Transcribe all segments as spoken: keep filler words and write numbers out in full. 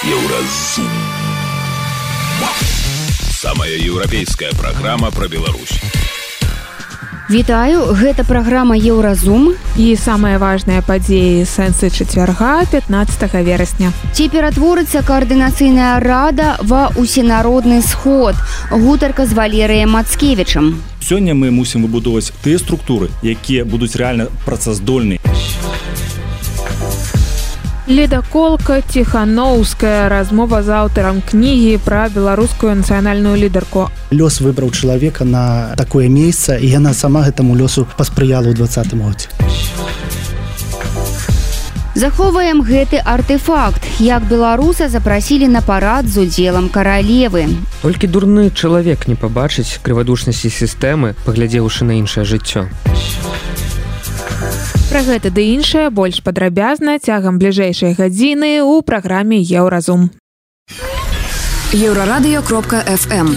Еўразум. Самая еўрапейская праграма пра Беларусь. Вітаю, гэта праграма Еўразум. І самыя важныя падзеі сэнсы чацвярга пятнаццатага верасня. Ці ператворыцца каардынацыйная рада ва ўсенародны сход. Гутарка з Валерыем Мацкевічам. Сёння мы мусім выбудоўваць тыя структуры, якія будуць рэальна працаздольныя. Ледаколка Ціханоўская. Размова з аўтарам кнігі пра беларускую нацыянальную лідарку. Лёс выбраў чалавека на такое месца, і яна сама гэтаму лёсу паспрыяла ў дваццатым годзе. Захоўваем гэты артефакт, як беларуса запрасілі на парад з удзелам каралевы. Толькі дурны чалавек не пабачыць крывадушнасці сістэмы, паглядзеўшы на іншае жыццё. Пра гэта ды іншае больш падрабязна цягам бліжэйшай гадзіны ў праграме Еўразум. Еўрарадыё кропка эф эм.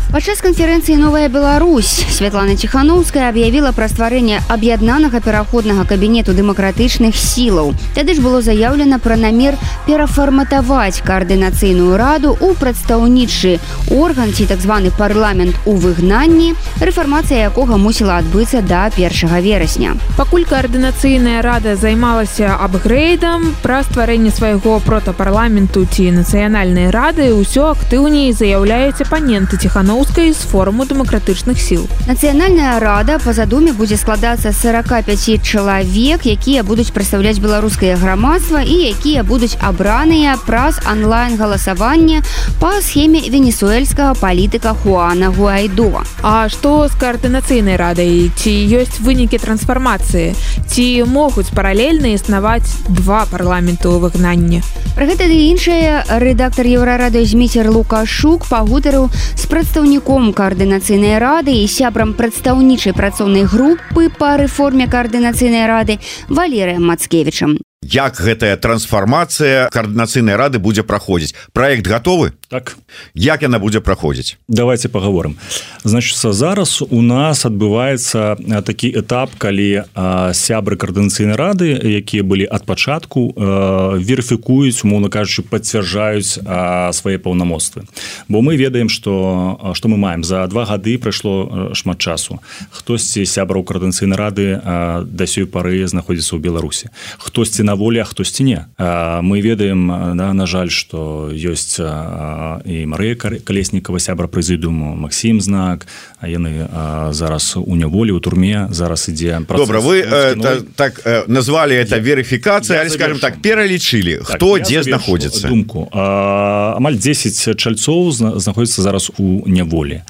Падчас канферэнцыі «Новая Беларусь» Святлана Ціханоўская аб'явіла пра стварэнне аб'яднанага пераходнага кабінету дэмакратычных сілаў. Тады ж было заяўлена пра намер перафарматаваць каардынацыйную раду ў прадстаўнічы орган ці так званы парламент у выгнанні, рэфармацыя якога мусіла адбыцца да першага верасня. Пакуль каардынацыйная рада займалася апгрэйдам, пра стварэнне свайго протапарламенту ці нацыянальнай рады ўсё актыўней заяўляюць апаненты Ціханоўскай з форуму дэмакратычных сіл. Нацыянальная рада па задуме будзе складацца з сорока пяці чалавек, якія будуць прадстаўляць беларускае грамадства і якія будуць абраныя праз онлайн-галасаванне па схеме венесуэльскага палітыка Хуана Гуайдо. А што з каардынацыйнай радай? Ці ёсць вынікі трансфармацыі? Ці могуць паралельна існаваць два парламенты ў выгнанні? Пра гэта ды іншае рэдактар Еўрарадыё Зміцер Лукашук пагутарыў з прадстаўніком каардынацыйнай рады і сябрам прадстаўнічай працоўнай групы па рэформе каардынацыйнай рады Валерыем Мацкевічам. Як гэтая трансфармацыя каардынацыйнай рады будзе праходзіць? Праект гатовы? Так. Як яна будзе праходзіць? Давайте паговорым. Значыцца, зараз у нас адбываецца такі этап, калі а, сябры каардынацыйнай рады, якія былі ад пачатку, а, верыфікуюць, умоўна кажучы, пацвярджаюць а, свае паўнамоцтвы. Бо мы ведаем, што, што мы маем. За два гады прайшло шмат часу. Хтосьці сябраў каардынацыйнай рады а, да сёй пары знаходзіцца ў Беларусі. Хтосьці на волі, а хтосьці не. А, мы ведаем, да, на жаль, што ёсць а, і Марыя Калеснікава, сябра прэзідыуму, Максім Знак, а яны а, зараз у няволі, у турме, зараз ідзе працэс. Добра, вы э, та, так э, назвалі это верыфікацыя, але, скажем так, пералічылі, так, хто дзе знаходзіцца. Думку. А, амаль дзесяць чальцоў знаходзіцца зараз у няволі.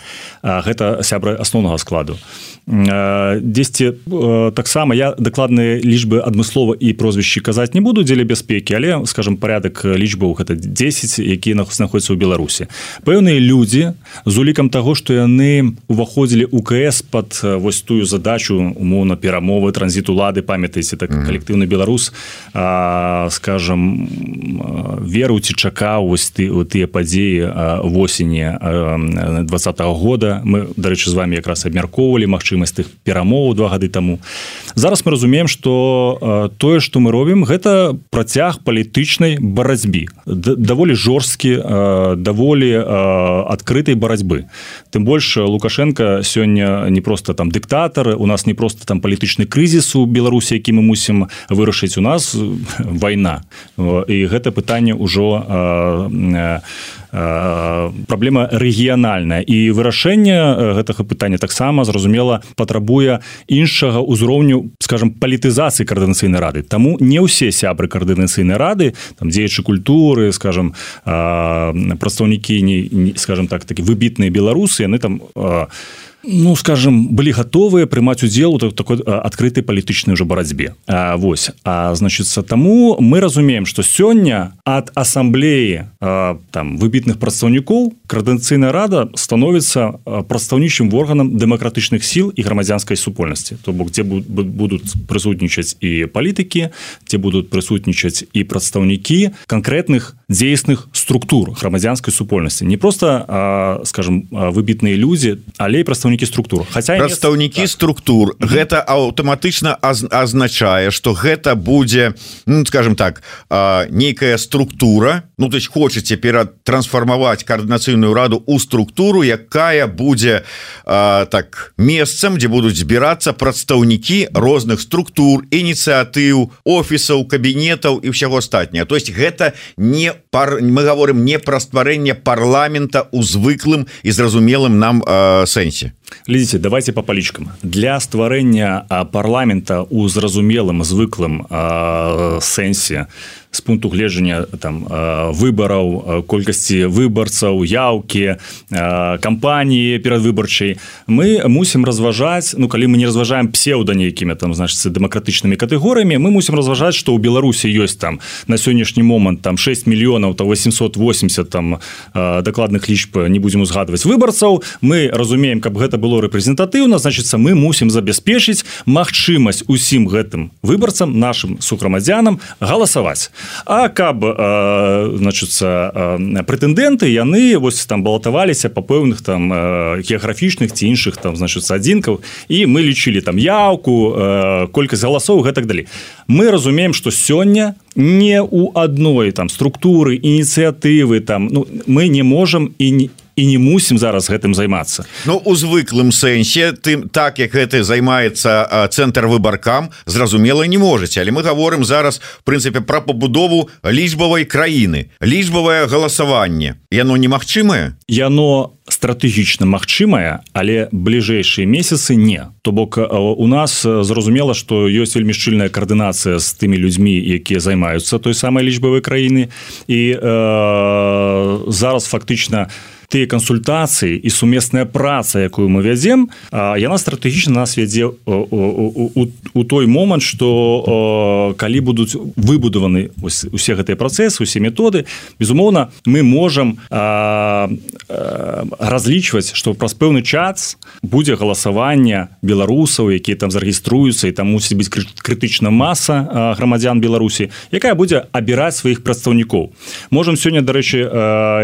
А, гэта сябры асноўнага складу. Дзесьці таксама я дакладныя лічбы адмыслова і прозвішчы казаць не буду дзеля бяспекі, але, скажем, парядак лічбаў гэта дзесяць, якія знаходзяцца ў Беларусі. Пэўныя людзі з улікам таго, што яны уваходзілі ў КС пад вось тую задачу умоўна перамовы, транзіт улады, памятаеце, так калектыўны беларус, а, скажем, верыў ці чакаў вось ты, тыя падзеі восені двадцатага года. Мы, дарэчы, з вами якраз абмяркоўвалі магчымасць тых перамоў два гады таму. Зараз мы разумеем, што тое, што мы робім, гэта працяг палітычнай барацьбы. Даволі жорсткі, даволі адкрытай барацьбы. Тым больш Лукашенко сёння не проста там дыктатар, у нас не проста там палітычны крызіс у Беларусі, які мы мусім вырашыць, у нас вайна. І гэта пытанне ўжо праблема рэгіянальная. І вырашэнне гэтага пытання таксама, зразумела, патрабуе іншага ўзроўню, скажем, палітызацыі каардынацыйнай рады. Таму не ўсе сябры каардынацыйнай рады, там дзеячы культуры, скажем, прадстаўнікі, скажем так, такі выбітныя беларусы, яны там, ну, скажем, былі гатовыя прымаць удзел у такой адкрытай палітычнай уже барацьбе. А, вось. А, значыцца, таму мы разумеем, што сёння ад асамблеі а, там выбітных прадстаўнікоў каардынацыйная рада становіцца прадстаўнічым органам дэмакратычных сіл і грамадзянскай супольнасці. То бок, дзе будуць прысутнічаць і палітыкі, дзе будуць прысутнічаць і прадстаўнікі канкрэтных дзейсных структур грамадзянскай супольнасці, не просто, скажем, выбітныя людзі, але і прадстаўнікі структур. Хаця прадстаўнікі так. структур mm-hmm. гэта аўтаматычна азначае, што гэта будзе, ну, скажем так, нейкая структура, ну, то есть хочаце ператрансфармаваць каардынацыйную раду ў структуру, якая будзе так месцам, дзе будуць збірацца прадстаўнікі розных структур, ініцыятыў, офісаў, кабінетаў і ўсяго астатняга. То есть гэта не пар... мы говорим не пра стварэнне парламента ў звыклым і зразумелым нам э, сэнсе. Глядзіце, давайте по палічкам. Для стварэння парламента ў зразумелым звыклым э, сэнсе з пункту гледжання там выбараў, колькасці выбарцаў, яўкі, кампаніі перадвыбарчай, мы мусім разважаць, ну калі мы не разважаем псеўда нейкімі там, значыцца, дэмакратычнымі катэгорыямі, мы мусім разважаць, што ў Беларусі ёсць там на сённяшні момант там шэсць мільёнаў та восемьсот восемьдесят там дакладных лічб не будзем узгадваць выбарцаў. Мы разумеем, каб гэта было рэпрэзентатыўна, значыцца, мы мусім забяспечыць магчымасць усім гэтым выбарцам, нашым сухграмадзянам галасаваць. А каб значыцца прэтэндэнты яны вось там балатаваліся па пэўных там геаграфічных ці іншых там значыцца адзінкаў, і мы лічылі там яўку, колькасць галасоў і так далей. Мы разумеем, што сёння не ў адной там структуры, ініцыятывы там, ну, мы не можам і не і не мусім зараз гэтым займацца. Ну, у звыклым сэнсе, тым, так як гэта займаецца цэнтр выбаркам, зразумела, не можаце. Але мы гаворым зараз, в прынцыпе, пра пабудову лічбавай краіны. Лічбавае галасаванне. Яно немагчымае? Яно стратэгічна магчымае, але бліжэйшыя месяцы не. То бок у нас зразумела, што ёсць вельмі шчыльная каардынацыя з тымі людзьмі, якія займаюцца той самай лічбавай краіны. І э, зараз фактычна тыя кансультацыі і сумесная праца, якую мы вядзем, яна стратэгічна нас вядзе у, у, у, у той момант, што калі будуць выбудаваны усе гэтыя працэсы, усе методы, безумоўна, мы можам а, а, разлічваць, што праз пэўны час будзе галасаванне беларусаў, якія там зарэгіструюцца, і там мусіць быць крытычна маса грамадзян Беларусі, якая будзе абіраць сваіх прадстаўнікоў. Можам сёння, дарэчы,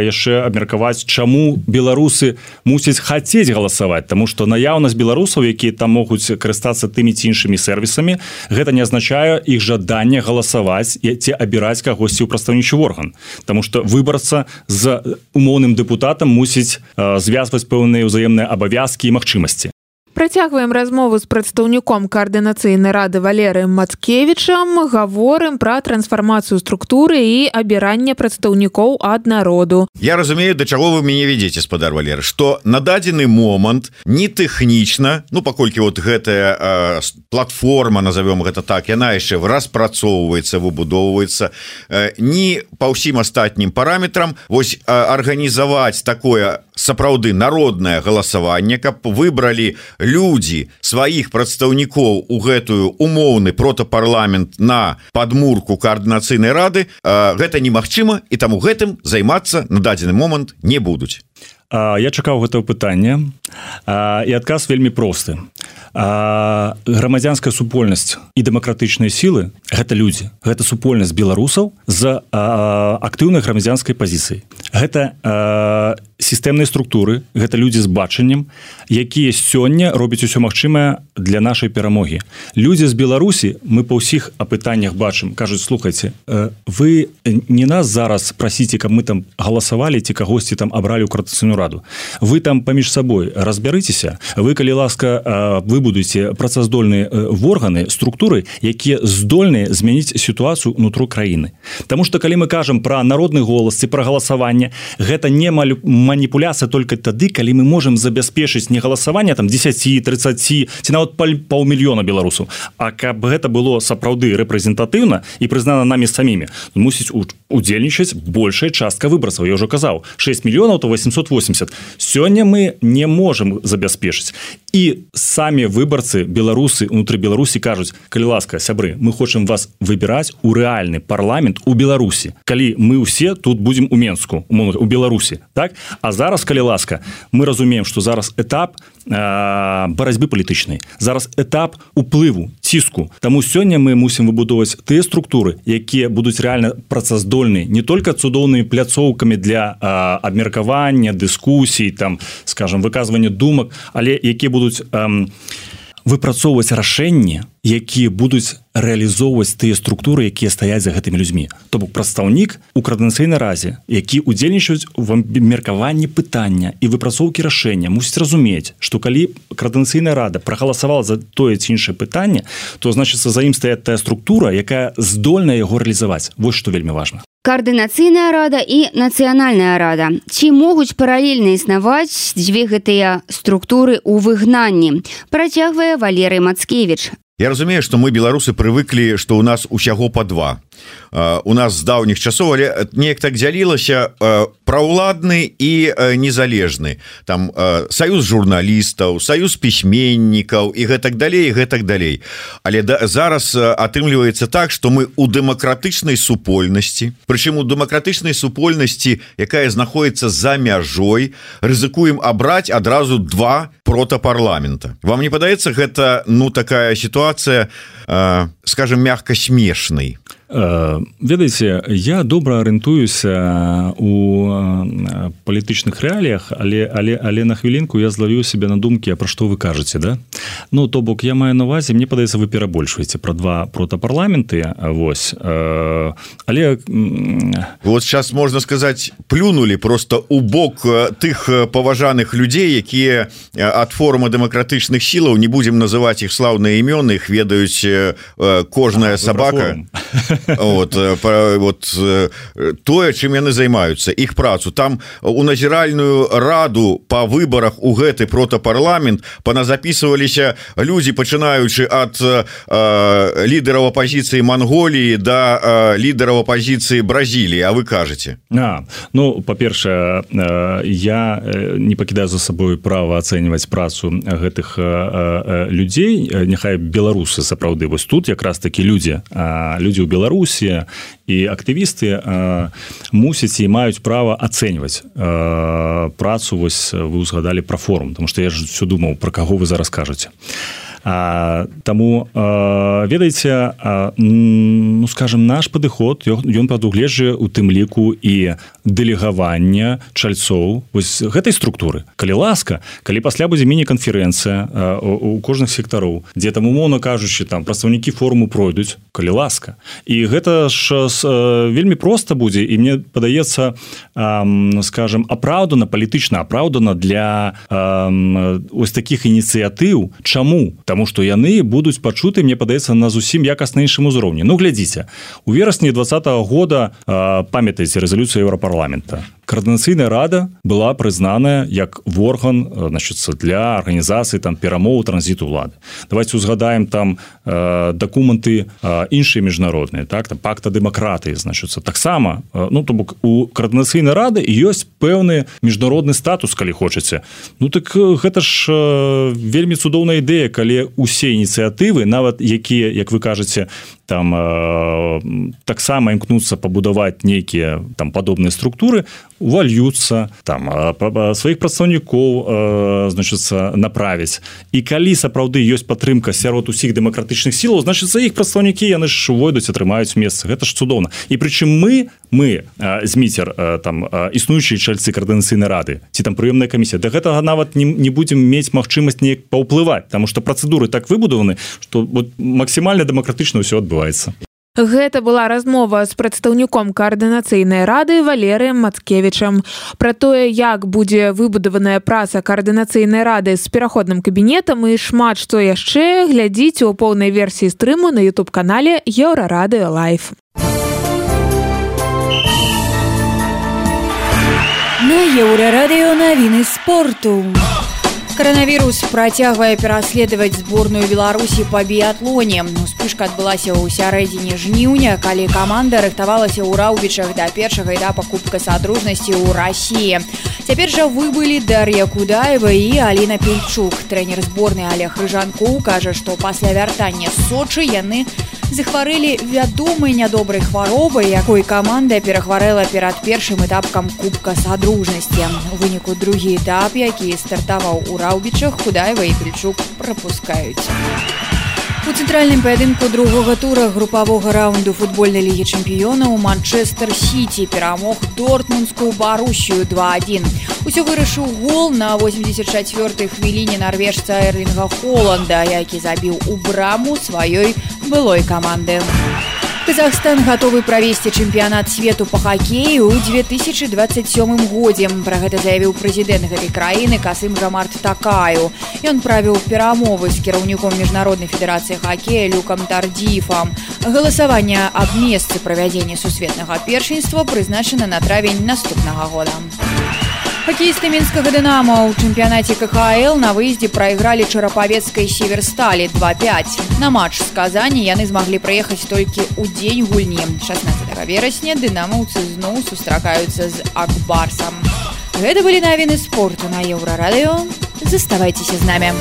яшчэ абмеркаваць, чаму беларусы мусяць хацець галасаваць, таму што наяўнасць беларусаў, якія там могуць карыстацца тымі ці іншымі сервісамі, гэта не азначае іх жаданне галасаваць ці абіраць кагосьці ў прадстаўнічы орган. Таму што выбарца з умоўным дэпутатам мусіць э, звязваць пэўныя ўзаемныя абавязкі і магчымасці. Працягваем размову з прадстаўніком каардынацыйнай рады Валерыем Мацкевічам, гаворым пра трансфармацыю структуры і абіранне прадстаўнікоў ад народу. Я разумею, да чаго вы мяне ведзеце, спадар Валер, што на дадзены момант не тэхнічна, ну паколькі вот гэтая э, платформа, назовём гэта так, яна яшчэ распрацоўваецца, выбудоўваецца, э, не па ўсім астатнім параметрам, вось э, арганізаваць такое сапраўды народнае галасаванне, каб выбралі людзі сваіх прадстаўнікоў у гэтую умоўны протапарламент на падмурку каардынацыйнай рады, гэта немагчыма, і таму гэтым займацца на дадзены момант не будуць. Я чакаў гэтага пытання, і адказ вельмі просты. Грамадзянская супольнасць і дэмакратычныя сілы – гэта людзі, гэта супольнасць беларусаў з актыўнай грамадзянскай пазіцыяй. Гэта сістэмныя структуры, гэта людзі з бачаннем, якія сёння робяць усё магчымае для нашай перамогі. Людзі з Беларусі, мы па ўсіх апытаннях бачым, кажуць, слухайце, вы не нас зараз прасіце, каб мы там галасавалі ці кагосьці там абралі ў каардынацыйную раду. Вы там паміж сабой разбярыцеся, вы, калі ласка, вы будуеце працаздольныя органы, структуры, якія здольныя змяніць сітуацыю ўнутры краіны. Таму што калі мы кажам пра народны голас ці пра галасаванне, гэта не маніпуляцыя толькі тады, калі мы можам забяспечыць не галасаванне там дзесяць, трыццаць ці нават паўмільёна беларусаў, а каб гэта было сапраўды рэпрэзентатыўна і прызнана намі самімі, мусіць удзельнічаць большая частка выбарцаў. Я ўжо казаў, шэсць мільёнаў то восемьсот восемьдесят. Сёння мы не можам забяспечыць. І самі выбарцы, беларусы, унутры Беларусі кажуць, калі ласка, сябры, мы хочам вас выбіраць у рэальны парламент у Беларусі. Калі мы ўсе тут будзем у Менску, у Беларусі, так? А зараз, калі ласка, мы разумеем, што зараз этап э, барацьбы палітычнай, зараз этап уплыву, ціску. Таму сёння мы мусім выбудоўваць тыя структуры, якія будуць рэальна працаздольныя не толькі цудоўнымі пляцоўкамі для э, абмеркавання, дыскусій, там, скажем, выказвання думак, але якія будуць э, выпрацоўваць рашэнні, якія будуць рэалізоўваць тыя структуры, якія стаяць за гэтымі людзьмі. То бок прадстаўнік у каардынацыйнай разе, які удзельнічаюць в абмеркаванні пытання і выпрацоўкі рашэння, мусіць разумець, што калі каардынацыйная рада прагаласавала за тое ці іншае пытанне, то значыцца за ім стаяць тая структура, якая здольная яго рэалізаваць. Вось што вельмі важна. Каардынацыйная рада і нацыянальная рада. Ці могуць паралельна існаваць дзве гэтыя структуры ў выгнанні? Працягвае Валерый Мацкевіч. Я разумею, што мы, беларусы, прывыклі, што ў нас усяго па два. Uh, у нас з даўніх часоў, але неяк так дзялілася uh, праўладны і uh, незалежны. Там uh, саюз журналістаў, саюз пісьменнікаў і гэтак далей, і гэтак далей. Але да, зараз uh, атрымліваецца так, што мы ў дэмакратычнай супольнасці, прычым у дэмакратычнай супольнасці, якая знаходіцца за мяжой, рызыкуем абраць адразу два протапарламента. Вам не падаецца гэта, ну, такая сітуацыя, uh, скажем, мягка смешнай? Ведаеце, я добра арыентуюся у палітычных рэаліях, але, але, але на хвілінку я злавіў себе на думкі, а пра што вы кажаце, да? Ну, то бок, я маю на увазе, мне падаецца, вы перабольшваеце пра два протапарламенты, вось, але... Вот сейчас, можна сказаць, плюнули просто у бок тых паважаных людзей, якія ад форума дэмакратычных сілаў, не будзем называць іх слаўныя імёны, іх ведаюць кожная а, сабака. Вот, вот тое, чым яны займаюцца, іх працу. Там у назіральную раду па выбарах у гэты протапарламент паназапісваліся людзі, пачынаючы ад э, лідараў апазіцыі Манголіі да э, лідараў апазіцыі Бразіліі. А вы кажаце? А, ну, па-першае, э, я не пакідаю за сабой права ацэньваць працу гэтых э, э, людзей, няхай беларусы сапраўды. Вось тут якраз такі людзі, э, людзі ў Беларусі, Беларусі і актывісты э, мусяць і маюць права ацэньваць э, працу. Вось вы узгадалі пра форум, тому што я ж все думаў, пра каго вы зараз кажаце. А, таму а, ведаеце, а, ну скажем, наш падыход ён прадугледжвае у тым ліку і дэлегавання чальцоў вось гэтай структуры. Калі ласка, калі пасля будзе міні-канферэнцыя у, у кожных сектароў, дзе там умоўна кажучы, там прадстаўнікі форуму пройдуць, калі ласка. І гэта ж а, вельмі проста будзе, і мне падаецца, а, скажем, апраўдана, палітычна апраўдана для а, ось такіх ініцыятыў. Чаму? Таму што яны будуць пачуты, мне падаецца, на зусім якасна іншым узроўні. Ну, глядзіце, у верасні двадцатага года, э, памятаеце, рэзалюцыя Еўрапарламента. Координаційная рада была признаная як орган, значит, для организации там перамоў транзиту улады. Давайте узгадаем там э, документы э, іншыя міжнародныя, так, там пакта дэмакратыі, значит, таксама, э, ну, то бок у координаційнай рады ёсць пэўны міжнародны статус, калі хочаце. Ну, так гэта ж э, вельмі цудоўная ідэя, калі усе ініцыятывы, нават якія, як вы кажаце, там э, таксама імкнуцца пабудаваць нейкія там падобныя структуры, увальюцца, там сваіх прадстаўнікоў э, значыцца направіць. І калі сапраўды ёсць падтрымка сярод усіх дэмакратычных сілаў, значыцца іх прадстаўнікі яны ж увойдуць, атрымаюць месца. Гэта ж цудоўна. І прычым мы, мы э, Зміцер, э, там э, існуючыя чальцы координацыйнай рады, ці там прыёмная камісія, да гэтага нават не, не будзем мець магчымасць неяк паўплываць, таму што працэдуры так выбудаваны, што вот, максімальна дэмакратычна ўсё адбываецца. Гэта была размова з прадстаўніком координацыйнай рады Валерыем Мацкевічам. Пра тое, як будзе выбудаваная праца координацыйнай рады з пераходным кабінетам і шмат што яшчэ, глядзіце ў поўнай версіі стрыму на ютуб-канале Еўрарадыё Лайф. На Еўрарадыё навіны спорту. Коронавирус працягвае пераследаваць зборную Беларусі па біятлоне. Успышка адбылася ў сярэдзіне жніўня, калі каманда рыхтавалася ў Раўбічах да першага этапа Кубка Садружнасці ў Расіі. Цяпер жа выбылі Дар'я Кудаева і Аліна Пельчук. Трэнер зборнай Олег Рыжанкоў кажа, што пасля вяртання з Сочы яны захварэлі вядомай нядобрай хваробай, якой каманда перахварэла перад першым этапкам Кубка Садружнасці. У выніку другі этап, які стартаваў у Раўбічах, Худаева і Пельчук прапускаюць. У цэнтральным паядынку другога тура групавога раунду футбольнай лігі чэмпіёнаў Манчестер Сіці перамог Дортмундскую Барусію два адзін. Усё вырашыў гол на восемьдесят чацвёртай хвіліне нарвежца Эрлінга Холанда, які забіў у браму сваёй былой каманды. Казахстан гатовы правесці чэмпіянат свету па хакею ў две тысячы двадцать сёмым годзе. Пра гэта заявіў прэзідэнт гэтай краіны Касым-Жамарт Такаю. Ён правіў перамовы з кіраўніком міжнароднай федэрацыі хакея Люкам Тардзіфам. Галасаванне аб месцы правядзення сусветнага першынства прызначана на травень наступнага года. Хоккеисты Минского «Динамо» у чемпионате ка ха эл на выезде проиграли Чарапавецкой «Северстали» два пять. На матч с Казани яны смогли проехать только у день гульни. шестнадцатого верасня дынамаўцы зноў сустракаюцца з Акбарсом. Гэта были навіны спорту на Еврорадио. Заставайтесь с нами.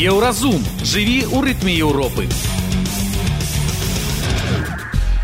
Еўразум. Жыві ў рытме Еўропы.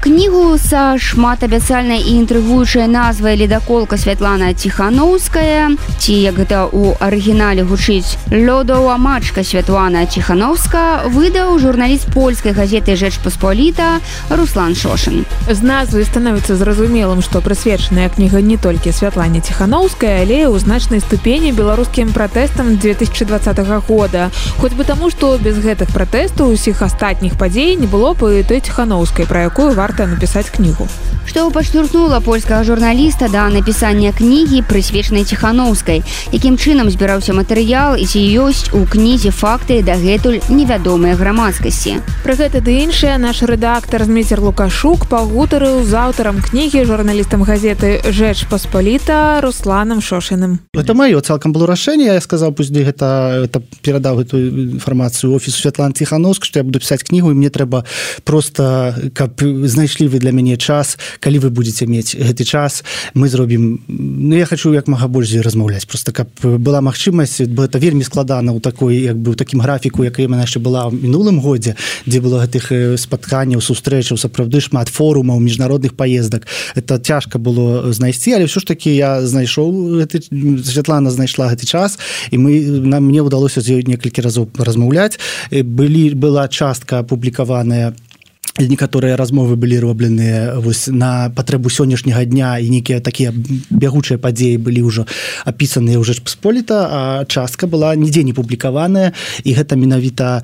Кнігу са шматабяцальнай і інтрыгуючай назвай «Ледаколка» Святлана Ціханаўская, ці, як гэта ў арыгінале гучыць, «Лёдова мачка» Святлана Ціханаўска, выдаў журналіст польскай газеты «Жэчпаспаліта» Руслан Шошын. З назвы становіцца зразумелым, што прысвечаная кніга не толькі Святлане Ціханаўскай, але ў значнай ступені беларускім пратэстам две тысячы двадцатага года. Хоць бы таму, што без гэтых пратэстаў усіх астатніх падзей не было б і той Ціханаўскай, пра якую варта напісаць кнігу. Што падштурхнула польскага журналіста да напісання кнігі, прысвечанай Ціханаўскай, якім чынам збіраўся матэрыял і ці ёсць у кнізе факты дагэтуль невядомыя грамадскасці. Пра гэта ды іншае наш рэдактар Зміцер Лукашук пагутарыў з аўтарам кнігі, журналістам газеты «Жэчпаспаліта» Русланом Шошиным. Это маё цалкам было рашэнне. Я сказаў, пусть гэта, гэта перадаў гэту інфармацыю офісу Святланы Ціханаўскай, што я буду пісаць кнігу, і мне трэба проста, каб знайшлі вы для мяне час, калі вы будете мець гэты час, мы зробім, ну я хочу як мага больш размаўляць, просто каб была магчымасць, бо это вельмі складана ў такой, як бы ў такім графіку, якая яна яшчэ была ў мінулым годзе, дзе было гэтых спатканняў, сустрэчаў, сапраўды шмат форумаў, міжнародных паездак. Это цяжка было знайсці, але ўсё ж такі я знайшоў гэты, Святлана знайшла гэты час, і мы нам мне ўдалося з ёй некалькі разоў размаўляць. Былі была частка апублікаваная, некаторыя размовы былі робленыя вось на патрэбу сённяшняга дня, і нейкія такія бягучыя падзеі былі ўжо апісаныя ў Жэчпаспаліта, а частка была нідзе не публікаваная, і гэта менавіта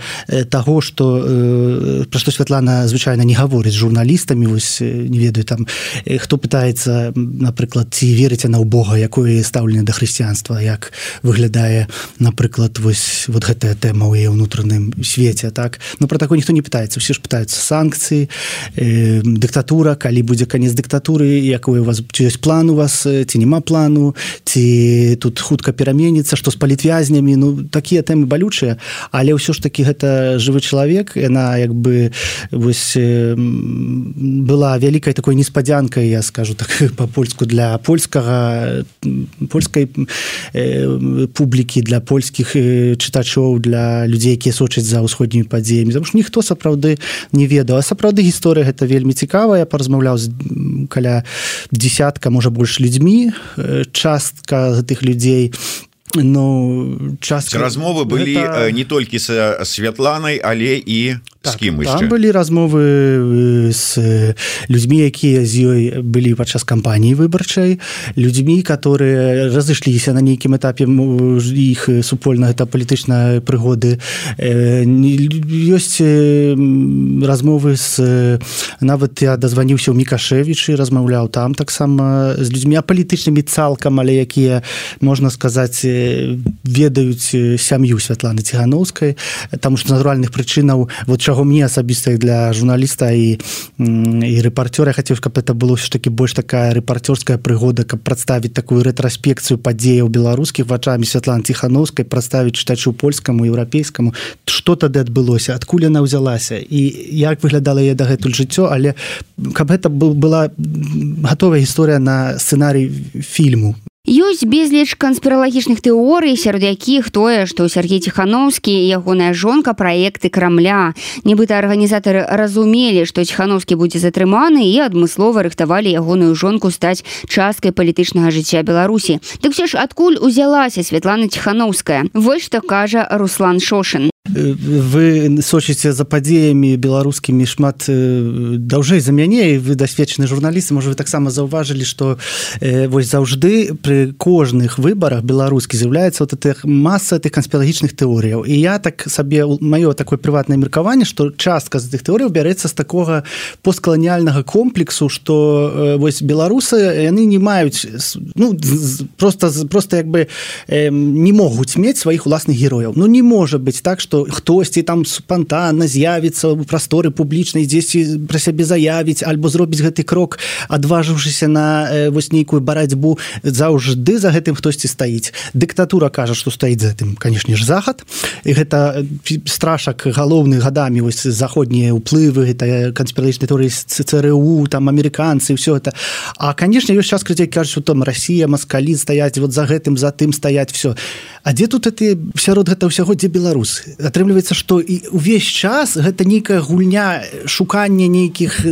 таго, што пра што Святлана звычайна не гаворыць з журналістамі, вось не ведаю там, хто пытаецца, напрыклад, ці верыць яна ў Бога, якое стаўленне да хрысціянства, як выглядае, напрыклад, вось вот гэтая тэма ў яе ўнутраным свеце, так? Ну пра такое ніхто не пытаецца, усе ж пытаюцца санкцыі, Э, дыктатура, калі будзе канец дыктатуры, якой у вас, ці ёсць план у вас, ці няма плану, ці тут хутка пераменіцца, што з палітвязнямі, ну такія тэмы балючыя, але ўсё ж такі гэта жывы чалавек, яна як бы вось э, была вялікай такой неспадзянкай, я скажу так па-польску, для польскага польскай э, публікі, для польскіх э, чытачоў, для людзей, якія сочаць за ўсходнімі падзеямі, таму што ніхто сапраўды не ведаў. А сапраўды гісторыя гэта вельмі цікавая. Я паразмаўляў з каля дзесятка, можа больш людзьмі. Частка гэтых людзей, ну, частка... Размовы былі гэта... не толькі са Святланай, але і так, з кім яшчэ? Там былі размовы з людзьмі, якія з ёй былі падчас кампаніі выбарчай, людзьмі, которые разышліся на нейкім этапе іх супольна, гэта палітычныя прыгоды. Ёсць размовы з... Нават я дазваніўся ў Мікашевічы, размаўляў там таксама з людзьмі апалітычнымі цалкам, але якія, можна сказаць, ведаюць сям'ю Святланы Ціханаўскай, таму што з натуральных прычынаў, вот чаго чаго мне асабіста для журналіста і, і рэпарцёра хацеў, каб это было ўсё ж таки больш такая рэпарцёрская прыгода, каб прадставіць такую рэтраспекцыю падзеяў беларускіх вачамі Святланы Ціханаўскай, прадставіць чытачу польскаму, еўрапейскаму, што тады адбылося, адкуль яна ўзялася і як выглядала яе дагэтуль жыццё, але каб гэта была гатовая гісторыя на сцэнарый фільму. Ёсць безліч канспіралагічных тэорый, сярод якіх тое, што Сергей Ціханаўскі і ягоная жонка праекты Крамля. Нібыта арганізатары разумелі, што Ціханаўскі будзе затрыманы і адмыслова рыхтавалі ягоную жонку стаць часткай палітычнага жыцця Беларусі. Дык ўсё ж адкуль узялася Святлана Ціханаўская? Вось што кажа Руслан Шошин. Вы сочыце за падзеямі беларускімі шмат даўжэй за мяне, і вы дасведчаны журналісты, можа, вы таксама заўважылі, што э, вось заўжды пры кожных выбарах беларускі з'яўляецца вот маса тых канспіралагічных тэорыяў. І я так сабе, маё такое прыватнае меркаванне, што частка з тых тэорыяў бярэцца з такога посткаланіяльнага комплексу, што э, вось беларусы, яны не маюць, ну, просто, просто як бы э, не могуць мець сваіх уласных герояў. Ну, не можа быць так, што хтосьці там спантанна з'явіцца ў прасторы публічнай, дзесьці пра сябе заявіць альбо зробіць гэты крок, адважыўшыся на э, вось нейкую барацьбу. Заўжды за гэтым хтосьці стаіць. Дыктатура кажа, што стаіць за гэтым, канешне ж, захад, і гэта страшак галоўны гадамі, вось заходнія ўплывы, гэта канспіралагічныя тэорыі ЦРУ, там амерыканцы, ўсё гэта. А канешне ёсць час, калі кажуць, што там Расія, маскалі стаяць, вот за гэтым, за тым стаяць, всё. А дзе тут это сярод гэта ўсяго, дзе беларусы? Атрымліваецца, што і увесь час гэта нейкая гульня, шукання нейкіх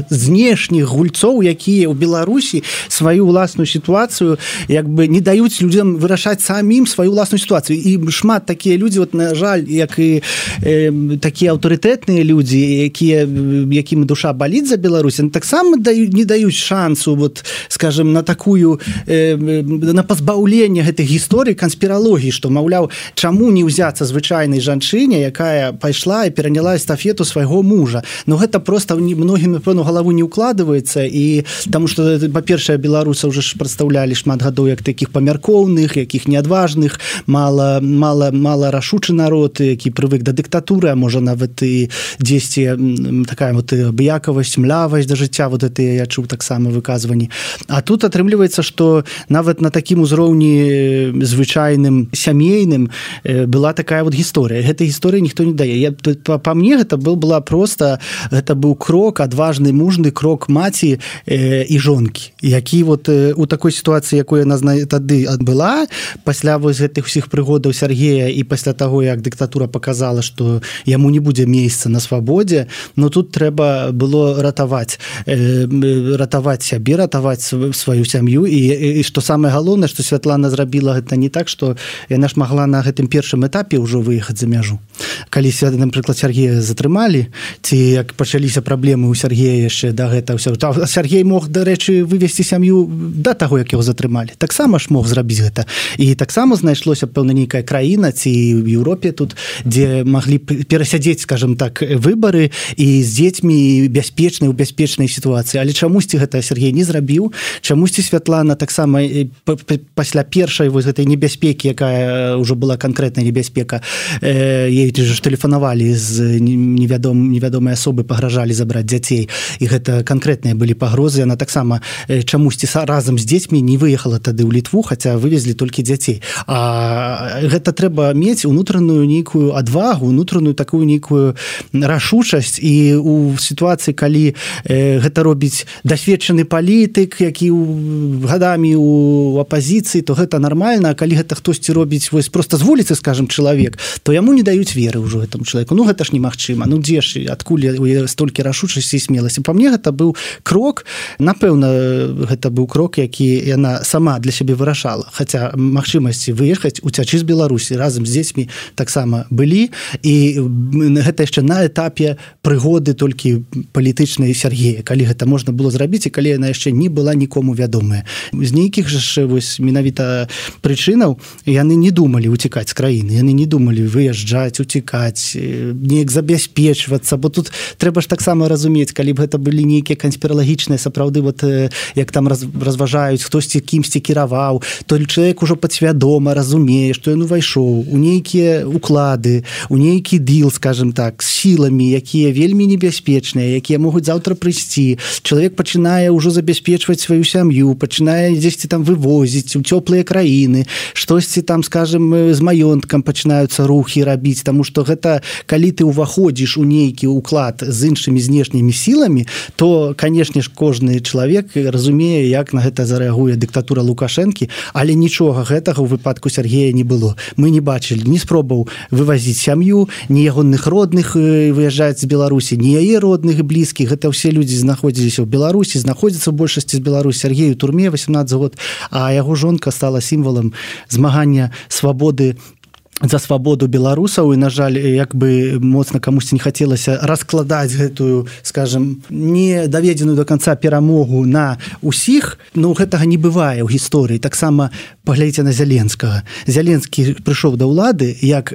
знешніх гульцоў, якія ў Беларусі сваю ўласную сітуацыю як бы не даюць людзям вырашаць самім сваю ўласную сітуацыю. І шмат такія людзі, вот, на жаль, як і э, такія аўтарытэтныя людзі, якія, якім душа баліць за Беларусь, таксама даю, не даюць шансу, вот, скажем, на такую э, на пазбаўленне гэтых гісторый канспіралогіі, што, маўляў, чаму не ўзяцца звычайнай жанчыне, якая пайшла і пераняла эстафету свайго мужа. Ну, гэта просто многім, напэўна, галаву не ўкладваецца, і таму што, па-першае, беларусы ўжо ж прадстаўлялі шмат гадоў як такіх памяркоўных, якіх неадважных, мала, мала, мала рашучы народ, які прывык да дыктатуры, а можа нават і дзесьці такая вот абыякавасць, млявасць да жыцця, вот это я чуў таксама выказванні. А тут атрымліваецца, што нават на такім узроўні звычайным сямейным была такая вот гісторыя. Гэтай гісторыі ніхто не дае. Я, па, па мне гэта был, была просто, гэта быў крок, адважны, мужны крок маці э, і жонкі, які вот э, у такой сітуацыі, якой яна тады адбыла, пасля вось гэтых усіх прыгодаў Сергея і пасля таго, як дыктатура показала, што яму не будзе месца на свабодзе, но тут трэба было ратаваць, э, ратаваць сябе, ратаваць сваю сям'ю, і, і што самае галоўнае, што Святлана зрабіла гэта не так, што яна ж магла на гэтым першым этапе ўжо выехаць за мяжу. Калі, напрыклад, Сергея затрымалі, ці як пачаліся праблемы ў Сергея яшчэ да гэта ўсё. Сергей мог, дарэчы, вывесці сям'ю да таго, як яго затрымалі. Таксама ж мог зрабіць гэта. І таксама знайшлося, пэўна, нейкая краіна, ці в Еўропе тут, дзе маглі перасядзець, скажем так, выбары і з дзецьмі бяспечнай, у бяспечнай сітуацыі. Але чамусьці гэта Сергей не зрабіў. Чамусьці Святлана таксама пасля першай вось гэтай небяспекі, якая ўжо была канкрэтная небяспека, ей ж тэлефанавалі з невядом, невядомай асобы, пагражалі забраць дзяцей, і гэта канкрэтныя былі пагрозы. Яна таксама чамусьці разам з дзецьмі не выехала тады ў Літву, хаця вывезлі толькі дзяцей. А гэта трэба мець унутраную нейкую адвагу, унутраную такую нейкую рашучасць, і у сітуацыі, калі гэта робіць дасведчаны палітык, які гадамі у апазіцыі, то гэта нармальна, а калі гэта хтосьці робіць вось проста з вуліцы, скажем, чалавек, то яму не даюць веры ўжо гэтаму чалавеку. Ну, гэта ж немагчыма. Ну, дзе ж, адкуль столькі рашучасці і смеласці? Па мне гэта быў крок, напэўна, гэта быў крок, які яна сама для сябе вырашала. Хаця магчымасці выехаць, уцячы з Беларусі разам з дзецьмі таксама былі, і гэта яшчэ на этапе прыгоды толькі палітычнай Сергея, калі гэта можна было зрабіць, і калі яна яшчэ не была нікому вядомая. З нейкіх жа вось менавіта прычынаў яны яны не думалі уцекаць з краіны, яны не думалі выязджаць, уцекаць, неяк забяспечвацца, бо тут трэба ж таксама разумець, калі б гэта былі нейкія канспіралагічныя, сапраўды вот як там раз, разважаюць, хтосьці кімсьці кіраваў, то чалавек ужо падсвядома разумее, што ён увайшоў у нейкія уклады, у нейкі дил, скажем так, з сіламі, якія вельмі небяспечныя, якія могуць заўтра прыйсці. Чалавек пачынае ўжо забяспечваць сваю сям'ю, пачынае дзесьці там вывозіць у цёплыя краіны, штосьці там, скажем, з маёнткам пачынаюцца рухі рабіць, таму што гэта, калі ты ўваходзіш у нейкі уклад з іншымі знешнімі сіламі, то, канешне ж, кожны чалавек разумее, як на гэта зарэагуе дыктатура Лукашэнкі, але нічога гэтага ў выпадку Сергея не было. Мы не бачылі ні спробаў вывазіць сям'ю, ні ягоных родных выязджаць з Беларусі, ні яе родных і блізкіх. Гэта ўсе людзі знаходзіліся ў Беларусі, знаходзяцца ў большасці з Беларусі. Сергей у турме восемнадцаты год, а яго жонка стала сімвалам змагання свабоды за свабоду беларусаў, і, на жаль, як бы моцна камусьці не хацелася раскладаць гэтую, скажем, не даведзеную до конца перамогу на усіх, но гэтага не бывае ў гісторыі. Таксама паглядзіце на Зяленскага. Зяленскі прыйшоў да ўлады, як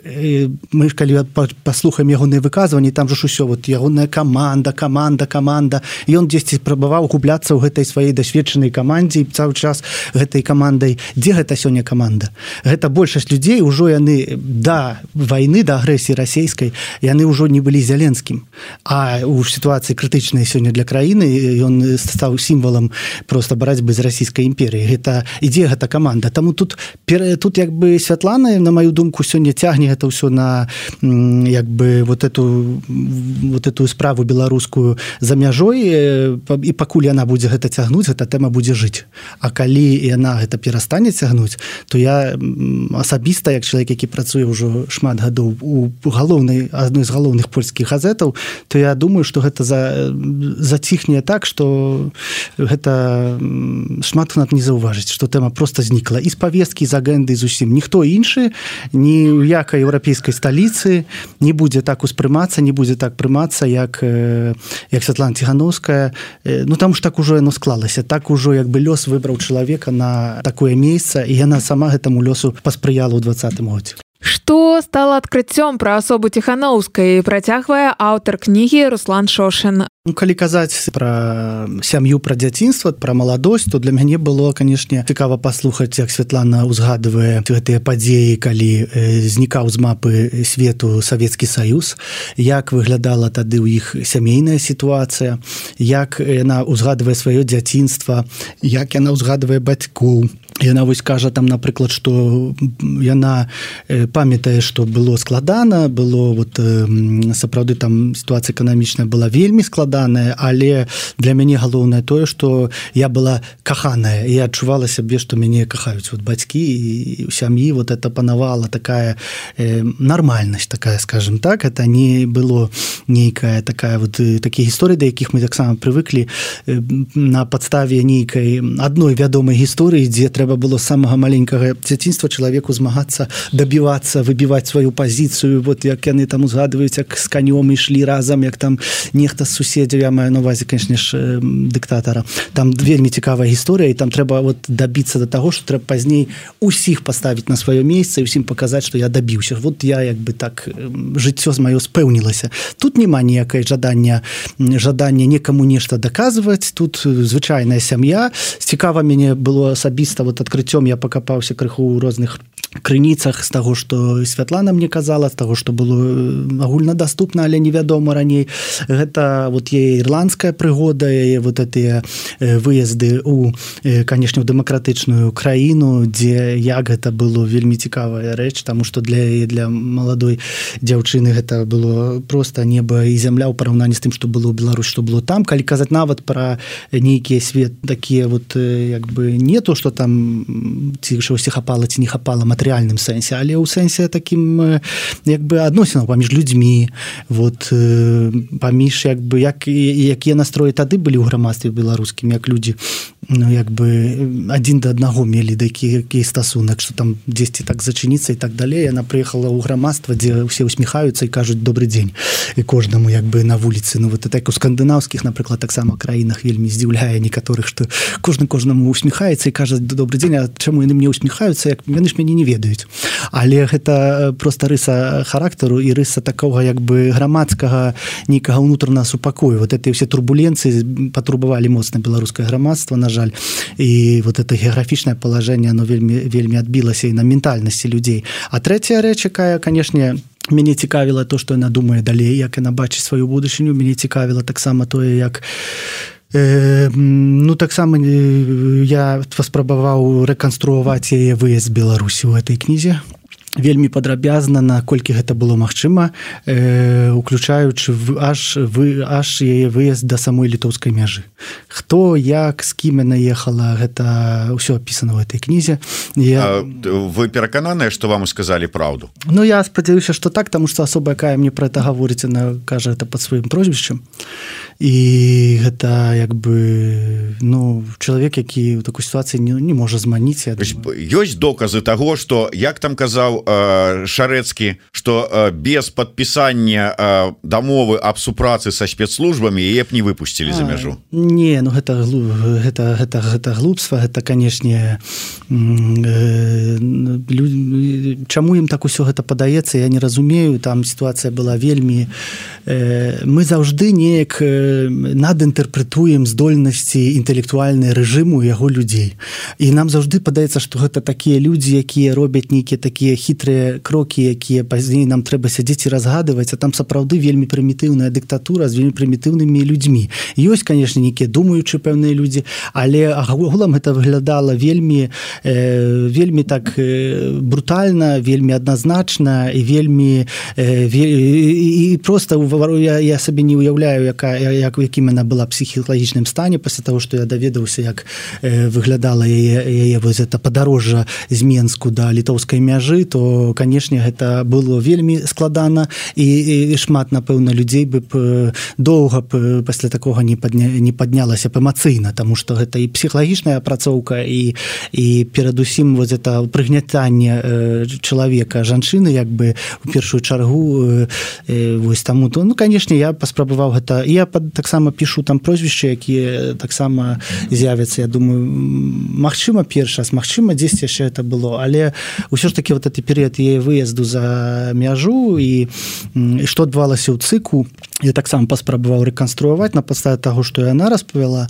мы калі паслухаем ягоныя выказванні, там же ж усё, вот ягоная каманда, каманда, каманда, і ён дзесьці спрабаваў губляцца ў гэтай сваёй дасведчанай камандзе, і цэлы час гэтай камандай. Дзе гэта сёння каманда? Гэта большасць людзей, ужо яны да войны, да агрэсіі расійскай, яны ўжо не былі Зяленскім. А ў сітуацыі крытычнай сёння для краіны ён стаў сімвалам проста барацьбы з расійскай імперіяй. Гэта ідзе гэта каманда. Таму тут тут як бы Святлана, на маю думку, сёння цягне гэта ўсё на як бы вот эту вот эту справу беларускую за мяжой, і пакуль яна будзе гэта цягнуць, гэта тэма будзе жыць. А калі яна гэта перастане цягнуць, то я асабіста, як чалавек, які працуе ўжо шмат гадоў у галоўнай, адной з галоўных польскіх газетаў, то я думаю, што гэта за, заціхне так, што гэта шмат хто не заўважыць, што тэма проста знікла і з павесткі, з агенды, зусім. Ніхто іншы, ні ў якай еўрапейскай сталіцы не будзе так успрымацца, не будзе так прымацца, як, як Святлана Ціханаўская. Ну, там ж так ужо яно склалася. Так ужо як бы лёс выбраў чалавека на такое месца, і яна сама гэтаму лёсу паспрыяла ў двадцатым годзе. Што стала адкрыццём пра асобу Ціханаўскай, працягвае аўтар кнігі Руслан Шошын. Ну, калі казаць пра сям'ю, пра дзяцінства, пра маладосць, то для мяне было, канешне, цікава паслухаць, як Святлана ўзгадвае гэтыя падзеі, калі знікаў з мапы свету Савецкі Саюз, як выглядала тады ў іх сямейная сітуацыя, як яна ўзгадвае сваё дзяцінства, як яна ўзгадвае бацькоў. Яна вось кажа там, напрыклад, што яна памятае, што было складана, было вот сапраўды там сітуацыя эканамічная была вельмі складаная, але для мяне галоўнае тое, што я была каханая, і я адчувала сябе, што мяне кахаюць вот бацькі, і ў сям'і вот это панавала такая э, нармальнасць такая, скажем так, это не было нейкая такая вот такія гісторыі, да якіх мы таксама прывыклі э, на падставе нейкай адной вядомай гісторыі, дзе трэба было з самага маленькага дзяцінства чалавеку змагацца, дабівацца, выбіваць сваю пазіцыю, вот як яны там узгадваюць, як з канём ішлі разам, як там нехта з суседзяў, я маю на увазе, канешне ж, дыктатара. Там вельмі цікавая гісторыя, і там трэба вот дабіцца да таго, што трэба пазней усіх паставіць на сваё месца і усім паказаць, што я дабіўся. Вот я як бы так жыццё з маё спэўнілася. Тут няма ніякай жадання жадання некаму нешта даказваць. Тут звычайная сям'я. Цікава мяне было асабіста вот адкрыццём, я пакапаўся крыху ў розных крыніцах з таго, што Святлана мне казала, з таго, што было агульнадаступна, але невядома раней. Гэта вот яе ірландская прыгода, яе вот гэтыя выезды ў, канешне, ў дэмакратычную краіну, дзе як гэта было вельмі цікавая рэч, таму што для яе, для маладой дзяўчыны гэта было проста неба і зямля ў параўнанні з тым, што было ў Беларусі, што было там. Калі казаць нават пра нейкія свет такія вот як бы не то, што там ці чогось хапала, ці не хапала матэрыяльным сэнсе, але ў сэнсе такім як бы адносінаў паміж людзьмі, вот паміж як бы як якія настроі тады былі ў грамадстве беларускім, як людзі ну як бы адзін да аднаго мелі такі які стасунак, што там дзесьці так зачыніцца і так далей. Яна прыехала ў грамадства, дзе ўсе усміхаюцца і кажуць добры дзень і кожнаму як бы на вуліцы. Ну вот так у скандынаўскіх, напрыклад, таксама краінах вельмі здзіўляе некаторых, што кожны кожнаму усміхаецца і кажа добры дзень, а чаму яны мне усміхаюцца, як яны ж мяне не ведаюць. але гэта просто рыса характару і рыса такого як бы грамадскага нейкага ўнутранага супакою. Вот эти все турбуленцыі патрубавалі моцна беларускае грамадства, на жаль, і вот это геаграфічнае палажэнне оно вельмі вельмі адбілася і на ментальнасці людзей. А трэцяя рэч, якая, канешне, мяне цікавіла то, што яна думае далей, як яна бачыць сваю будучыню, мяне цікавіла таксама тое, як э, ну таксама э, я паспрабаваў рэканструаваць яе выезд з Беларусі ў гэтай кнізе. Вельмі падрабязна, наколькі гэта было магчыма, э, уключаючы в, аж, вы, аж яе выезд да самой літоўскай мяжы. Хто, як, з кім яна ехала, гэта ўсё апісана ў гэтай кнізе. Я... Вы перакананыя, што вам сказалі праўду? Ну, я спадзяюся, што так, таму што асоба, якая мне пра это гаворыць, яна кажа гэта пад сваім прозвішчам. І гэта, як бы, ну, чалавек, які ў такой сітуацыі не, не можа зманіць. Ёсць доказы таго, што, як там казаў Шарэцкі, што без падпісання дамовы аб супрацы са спецслужбамі яе б не выпусцілі за мяжу. Не, ну гэта гэта гэта гэта глупства, гэта, канешне, чаму ім так усё гэта падаецца, я не разумею, там сітуацыя была вельмі, мы заўжды неяк надінтэрпрэтуем здольнасці інтэлектуальнай рэжыму яго людзей. І нам заўжды падаецца, што гэта такія людзі, якія робяць нейкія такія хітрыя крокі, якія пазней нам трэба сядзець і разгадываць, а там сапраўды вельмі прымітыўная дыктатура з вельмі прымітыўнымі людзьмі. Ёсць, канешне, нейкія думаючыя пэўныя людзі, але агулам гэта выглядала вельмі э, вельмі так э, брутальна, вельмі адназначна і вельмі э, ве, і, і просто я, я сабе не уяўляю, яка, як, якім яна была псіхалагічным стане пасля таго, што я даведаўся, як э, выглядала яе, яе вось это падарожжа з Менску да літоўскай мяжы, то, канешне, гэта было вельмі складана і, і шмат, напэўна, людзей бы б доўга б пасля такога не, падня, не паднялася б эмацыйна, таму што гэта і псіхалагічная апрацоўка і, і перадусім вот это прыгнятанне э, чалавека, жанчыны, як бы у першую чаргу э, э, вось таму, то, ну, канешне, я паспрабаваў гэта, і я таксама пішу там прозвішчы, якія таксама з'явяцца, я думаю, магчыма, першы раз, магчыма, дзесьці яшчэ это было, але ўсё ж таки вот этот перыяд яе выезду за мяжу і, і што адбывалася ў цыку, я таксама паспрабаваў рэканструаваць на падставе таго, што яна распавяла,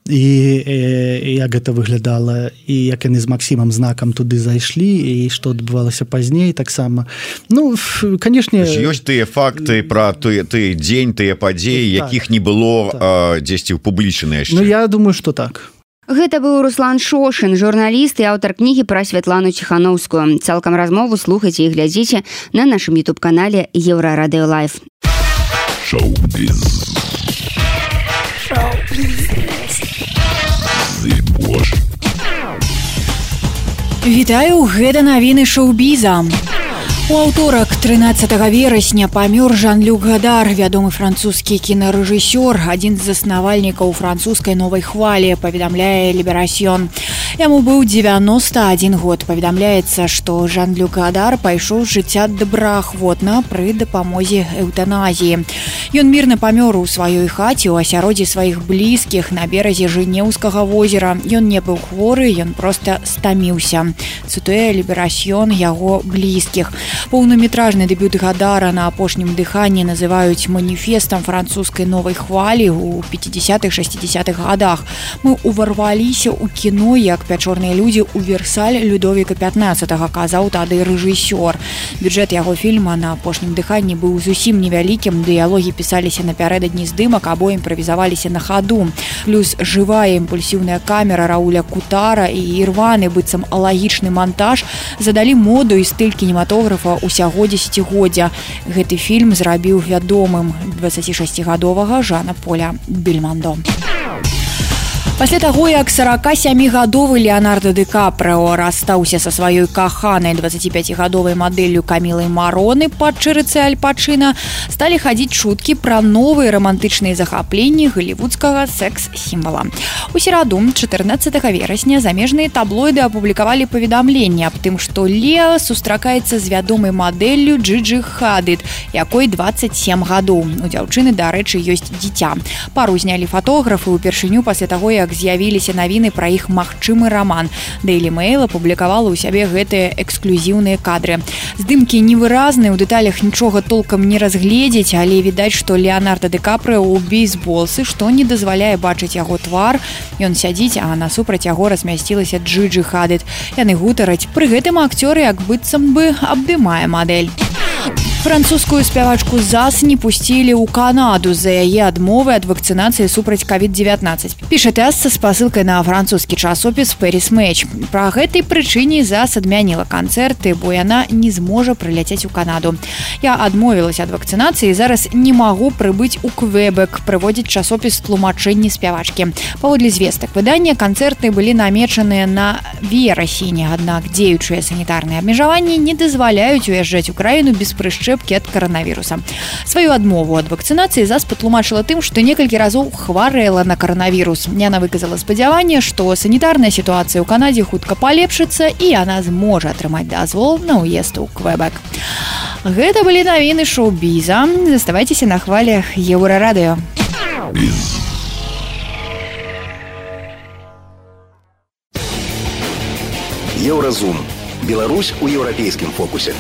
і, і як гэта выглядала, і як яны з Максімам знакам туды зайшлі, і што адбывалася пазней таксама. Ну, канешне, ёсць тыя факты пра той ты дзень, тыя падзеі, так, якіх не было так. а, дзесьці ўпублічаны яшчэ. Ну, я думаю, што так. Гэта быў Руслан Шошын, журналіст і аўтар кнігі пра Святлану Ціханаўскую. Цалкам размову слухайце і глядзіце на нашым ютуб-канале Еўрарадыё Лайв. Шоу-біз. Вітаю, гэта навіны шоу-біза. У аўторак трынаццатага верасня памёр Жан-Люк Гадар, вядомы французскі кінарэжысёр, адзін з заснавальнікаў французскай новай хвалі, паведамляе Ліберасьён. Яму быў дзевяноста адзін год. Паведамляецца, што Жан-Люк Гадар пайшоў з жыцця добраахвотна пры дапамозе эўтаназіі. Ён мірна памёр у сваёй хаце ў асяроддзі сваіх блізкіх на беразе Жэнеўскага возера. Ён не быў хворы, ён проста стаміўся. Цытуе Ліберасьён яго блізкіх. Поўнаметражны дэбют Гадара на апошнім дыханні называюць маніфестам французскай новай хвалі ў пяцідзясятых-шэсцідзясятых гадах. Мы уварваліся ў кіно, як пячорныя людзі ў Версаль Людовіка пятнаццатага, казаў тады рэжысёр. Бюджэт яго фільма на апошнім дыханні быў зусім невялікім, дыялогі пісаліся напярэдадні здымак або імправізаваліся на хаду. Плюс жывая імпульсіўная камера Рауля Кутара і ірваны быццам алагічны монтаж задалі моду і стыль кінематографа усяго дзесяцігоддзя. Гэты фільм зрабіў вядомым дваццацішасцігадовага Жана Поля Бельмондо. Пасля таго, як сорокасямігадовы Леонардо Ди Капрыо расстаўся са сваёй каханай дваццаціпяцігадовай мадэллю Камілай Мароны пад чырыцай Аль Пачына, сталі хадзіць чуткі пра новыя рамантычныя захапленні голливудскага секс-сімвала. У сераду, чатырнаццатага верасня, замежныя таблоіды апублікавалі паведамленне аб тым, што Леа сустракаецца з вядомай мадэллю Джиджи Хадид, якой дваццаць сем гадоў. У дзяўчыны, дарэчы, ёсць дзіця. Пару знялі фатографы ўпершыню пасля таго, як як з'явіліся навіны пра іх магчымы раман. Daily Mail апублікавала ў сябе гэтыя эксклюзіўныя кадры. Здымкі невыразныя, у дэталях нічога толкам не разгледзець, але відаць, што Леонардо Ди Капрыо ў бейсболцы, што не дазваляе бачыць яго твар. Ён сядзіць, а насупраць яго размясцілася Джиджи Хадид. Яны гутараць. Пры гэтым акцёр як быццам бы абдымае мадэль. Французскую спявачку ЗАС не пусцілі ў Канаду з-за яе адмовы ад вакцынацыі супраць ковід дзевятнаццаць. Піша ТАСС са спасылкай на французскі часопіс Paris Match. Пра гэтай прычыне ЗАС адмяніла канцэрты, бо яна не зможа прыляцець у Канаду. Я адмовілася ад вакцынацыі і зараз не магу прыбыць у Квебек, прыводзіць часопіс тлумачэнні спявачкі. Паводле звестак выдання, канцэрты былі намечаныя на верасень, аднак дзеючыя санітарныя абмежаванні не дазваляюць уязджаць у краіну без прышчэпкі ад каранавіруса. Сваю адмову ад вакцынацыі ЗАС патлумачыла тым, што некалькі разоў хварэла на каранавірус. Яна выказала спадзяванне, што санітарная сітуацыя ў Канадзе хутка палепшыцца і яна зможа атрымаць дазвол на ўезд у Квебек. Гэта былі навіны шоу-біза. Заставайцеся на хвалях Еўрарадыё. Еўразум. Беларусь у еўрапейскім фокусе.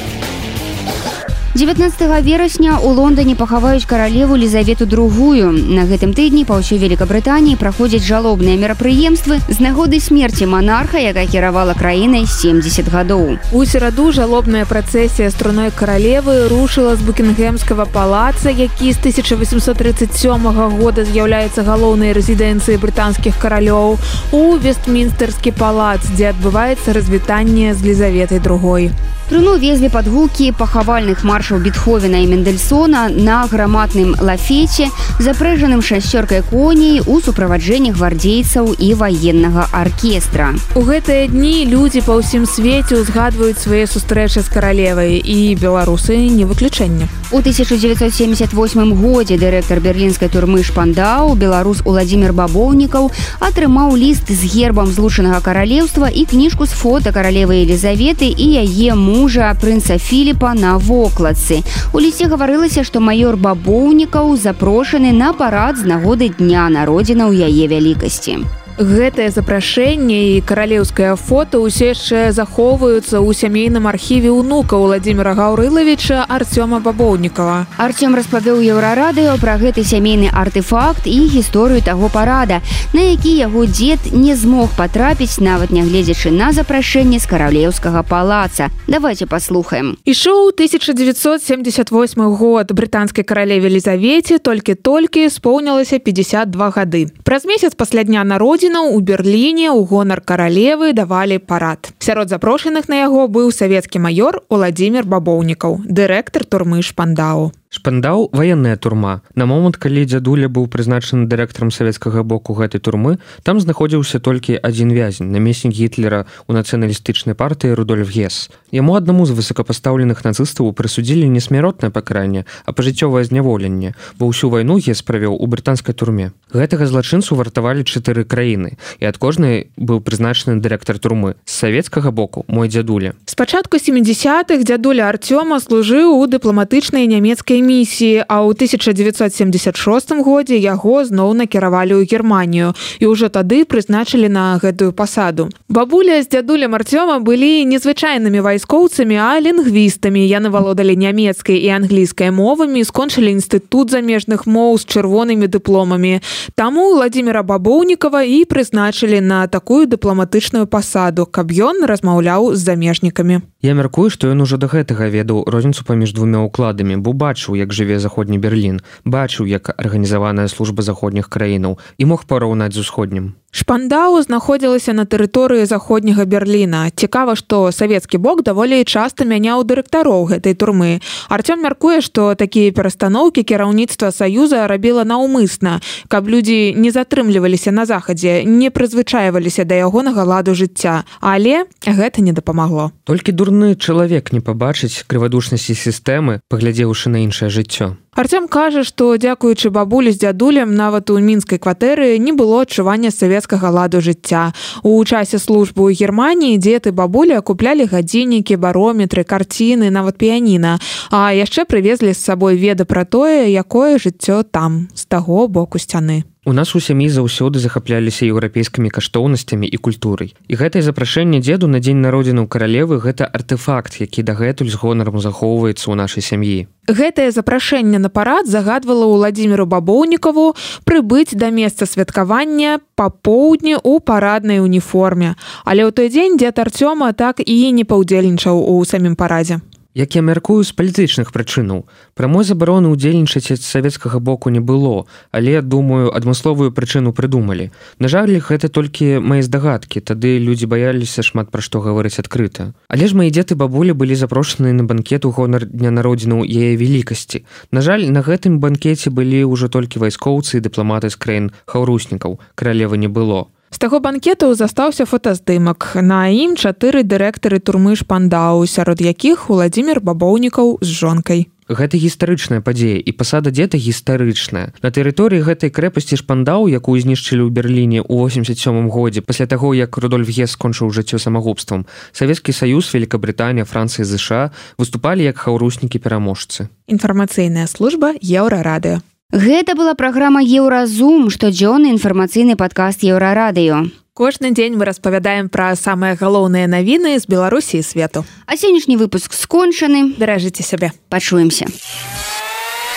дзевятнаццатага верасня ў Лондоне пахаваюць каралеву Лізавету другую. На гэтым тыдні па ўсёй Великабрытаніі праходзяць жалобныя мерапрыемствы з нагоды смерці манарха, якая кіравала краінай семдзесят гадоў. У сераду жалобная працэсія струной каралевы рушыла з Букінгемскага палаца, які з тысяча восемьсот тридцать сёмага года з'яўляецца галоўнай рэзідэнцыяй брытанскіх каралёў, у Вестмінстэрскі палац, дзе адбываецца развітанне з Лізаветай другой. Труну везлі пад гукі пахавальных маршаў Бетховена і Мендельсона на грамадным лафеце, запрэжаным шасцёркай коней у суправаджэнні гвардзейцаў і ваеннага аркестра. У гэтыя дні людзі па ўсім свеце ўзгадваюць свае сустрэчы з каралевай, і беларусы не выключэнне. У тысяча дзевятьсот семьдесят восьмым годзе дырэктар берлінскай турмы Шпандау, беларус Уладзімір Бабоўнікаў, атрымаў ліст з гербам Злучанага каралеўства і кніжку з фота каралевы Елізаветы і яе мужа прынца Філіпа на вокладцы. У лісце гаварылася, што майор Бабоўнікаў запрошаны на парад з нагоды дня народзінаў яе вялікасці. Гэтае запрашэнне і каралеўскае фота ўсе яшчэ захоўваюцца ў сямейным архіве ўнука Уладзіміра Гаўрылавіча Арцёма Бабоўнікава. Арцём распавёў Еўрарадыё пра гэты сямейны артэфакт і гісторыю таго парада, на які яго дзед не змог патрапіць, нават нягледзячы на запрашэнне з каралеўскага палаца. Давайте паслухаем. Ішоў тысяча дзевятьсот семьдесят восьмы год. Брытанскай каралеве Лізавеце толькі-толькі споўнілася пятьдесят два гады. Праз месяц пасля дня народзінаў у Берліне ў гонар каралевы давалі парад. Сярод запрошаных на яго быў савецкі маёр Уладзімір Бабоўнікаў, дырэктар турмы Шпандау. Шпандау – ваенная турма. На момант, калі дзядуля быў прызначаны дырэктарам савецкага боку гэтай турмы, там знаходзіўся толькі адзін вязень, намеснік Гітлера ў нацыяналістычнай партыі Рудольф Гесс. Яму аднаму з высокапастаўленых нацыстаў прысудзілі не смяротнае пакаранне, а пажыццёвае зняволенне, бо ўсю вайну Гесс правёў у брытанскай турме. Гэтага злачынцу вартавалі чатыры краіны, і ад кожнай быў прызначаны дырэктар турмы. З савецкага боку – мой дзядуля. Спачатку сямідзясятых дзядуля Арцёма служыў у дыпламатычнай нямецкай місіі, а ў тысяча дзевятьсот семьдесят шостым годзе яго зноў накіравалі ў Германію і ўжо тады прызначылі на гэтую пасаду. Бабуля з дзядулем Арцёма былі незвычайнымі вайскоўцамі, а лінгвістамі. Яны валодалі нямецкай і англійскай мовамі, скончылі інстытут замежных моў з чырвонымі дыпломамі. Таму Уладзіміра Бабоўнікава і прызначылі на такую дыпламатычную пасаду, каб ён размаўляў з замежнікамі. Я мяркую, што ён ужо да гэтага ведаў розніцу паміж двумя ўкладамі, бо бачыў, як жыве заходні Берлін, бачыў, як арганізаваная служба заходніх краінаў і мог параўнаць з усходнім. Шпандау знаходзілася на тэрыторыі заходняга Берліна. Цікава, што савецкі бок даволі часта мяняў дырэктароў гэтай турмы. Арцём мяркуе, што такія перастаноўкі кіраўніцтва Саюза рабіла наўмысна, каб людзі не затрымліваліся на захадзе, не прызвычайваліся да ягонага ладу жыцця. Але гэта не дапамагло. Толькі дурны чалавек не пабачыць крывадушнасці сістэмы, паглядзеўшы на іншае жыццё. Арцём кажа, што, дзякуючы бабулі з дзядулем, нават у мінскай кватэры не было адчування савецкага ладу жыцця. У часе службы ў Германіі дзед і бабуля куплялі гадзіннікі, барометры, карціны, нават піяніна. А яшчэ прывезлі з сабой веды пра тое, якое жыццё там, з таго боку сцяны. У нас у сям'і заўсёды захапляліся еўрапейскімі каштоўнасцямі і культурай. І гэтае запрашэнне дзеду на дзень народзінаў каралевы гэта артэфакт, які дагэтуль з гонарам захоўваецца ў нашай сям'і. Гэтае запрашэнне на парад загадвала Уладзіміру Бабоўнікаву прыбыць да месца святкавання па поўдні ў параднай уніформе. Але ў той дзень дзед Арцёма так і не паўдзельнічаў у самім парадзе. Як я мяркую, з палітычных прычынаў. Прамой забароны ўдзельнічаць з савецкага боку не было, але, думаю, адмысловую прычыну прыдумалі. На жаль, гэта толькі мае здагадкі, тады людзі баяліся шмат пра што гаварыць адкрыта. Але ж мае дзед і бабулі былі запрошаны на банкет у гонар дня народзінаў яе велікасці. На жаль, на гэтым банкеце былі ўжо толькі вайскоўцы і дыпламаты з краін хаўруснікаў. Каралевы не было. З таго банкету застаўся фотаздымак. На ім чатыры дырэктары турмы Шпандау, сярод якіх Уладзімір Бабоўнікаў з жонкай. Гэта гістарычная падзея, і пасада дзеда гістарычная. На тэрыторыі гэтай крэпасці Шпандау, якую знішчылі ў Берліне ў восемьдесят сёмым годзе, пасля таго, як Рудольф Гес скончыў жыццё самагубствам, Савецкі Саюз, Великабрытанія, Францыя і ЗША выступалі як хаўруснікі-пераможцы. Інфармацыйная служба Еўрарадыё. Гэта была праграма «Еўразум», штодзённы інфармацыйны падкаст Еўрарадыё. Кожны дзень мы распавядаем пра самыя галоўныя навіны з Беларусі і свету. А сённяшні выпуск скончаны. Беражыце сябе. Пачуемся.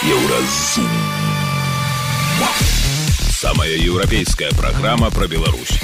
Еўразум. Самая еўрапейская праграма пра Беларусь.